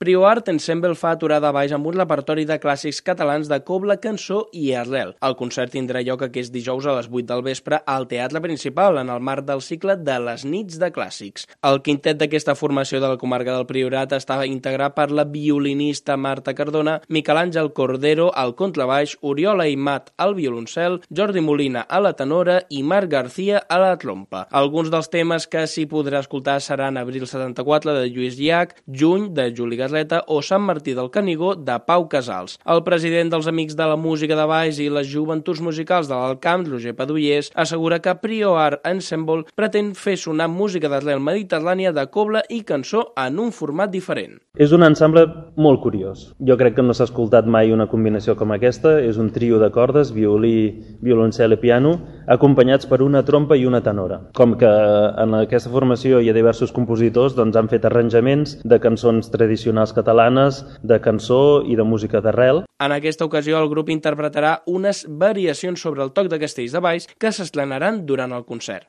Prio Art Ensemble fa aturada a baix amb un repertori de clàssics catalans de cobla, cançó i arrel. El concert tindrà lloc aquest dijous a les 8 del vespre al Teatre Principal, en el marc del cicle de les nits de clàssics. El quintet d'aquesta formació de la comarca del Priorat està integrat per la violinista Marta Cardona, Miquel Àngel Cordero al contrabaix, Oriol Aimat al violoncel, Jordi Molina a la tenora i Marc García a la trompa. Alguns dels temes que s'hi podrà escoltar seran Abril 74 de Lluís Llach, Juny de Juli Garleta o Sant Martí del Canigó de Pau Casals. El president dels Amics de la Música de Baix i les Joventuts Musicals de l'Alt Camp, Roger Padullers, assegura que Prio Art Ensemble pretén fer sonar música d'arrel mediterrània de cobla i cançó en un format diferent. És un ensemble molt curiós. Jo crec que no s'ha escoltat mai una combinació com aquesta. És un trio de cordes, violí, violoncel i piano, acompanyats per una trompa i una tenora. Com que en aquesta formació hi ha diversos compositors, doncs han fet arranjaments de cançons tradicionals catalanes, de cançó i de música d'arrel. En aquesta ocasió el grup interpretarà unes variacions sobre el toc de Castells de Baix que s'estrenaran durant el concert.